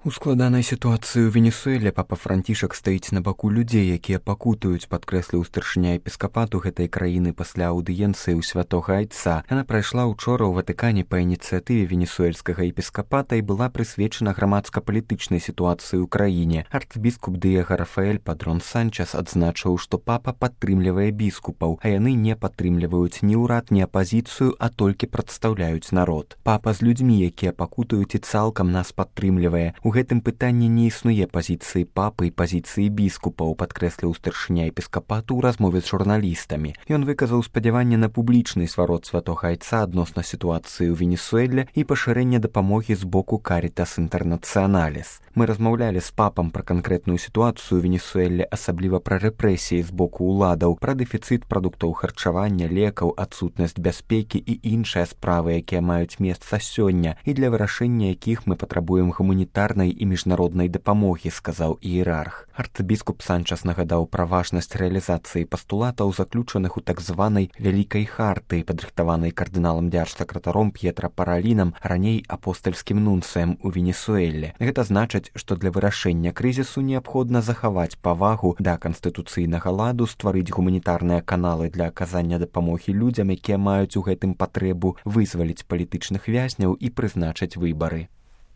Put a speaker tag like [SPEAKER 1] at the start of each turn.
[SPEAKER 1] У складанай сітуацыі ў Венесуэле папа Францішак стаіць на баку людзей, якія пакутаюць, падкрэсліў старшыня епіскапату гэтай краіны пасля аўдыенцыі ў святога айца. Яна прайшла учора ў Ватыкане па ініцыятыве венесуэльскага епіскапата і была прысвечана грамадска-палітычнай сітуацыі ў краіне. Арцбіскуп Дыего Рафаэль Падрон Санчес адзначыў, што папа падтрымлівае біскупаў, а яны не падтрымліваюць ні ўрад, ні апазіцыю, а толькі прадстаўляюць народ. Папа з людзьмі, якія пакутаюць, і цалкам нас падтрымлівае. У гэтым пытанні не існуе пазіцыі папы і пазіцыі біскупаў, падкрэсліў старшыня епіскапату ў размове з журналістамі. Ён выказаў спадзяванне на публічны сварод святога айца адносна сітуацыі ў Венесуэле і пашырэнне дапамогі з боку Карітас Інтэрнацыяналіс. Мы размаўлялі з папам пра канкрэтную сітуацыю ў Венесуэле, асабліва пра рэпрэсіі з боку ўладаў, пра дэфіцыт прадуктаў харчавання, лекаў, адсутнасць бяспекі і іншыя справы, якія маюць месца сёння і для вырашэння якіх мы патрабуем гуманітарнай і міжнароднай дапамогі, сказаў іерарх. Арцбіскуп Санчес нагадаў пра важнасць рэалізацыі пастулатаў, заключаных у так званай вялікай харты, падрыхтаванай кардыналам дзяржсакратаром П'етра Паралінам, раней апостальскім нунцыем у Венесуэле. Гэта значыць, што для вырашэння крызісу неабходна захаваць павагу да канстытуцыйнага ладу, стварыць гуманітарныя каналы для аказання дапамогі людзям, якія маюць у гэтым патрэбу, вызваліць палітычных вязняў і прызначыць выбары.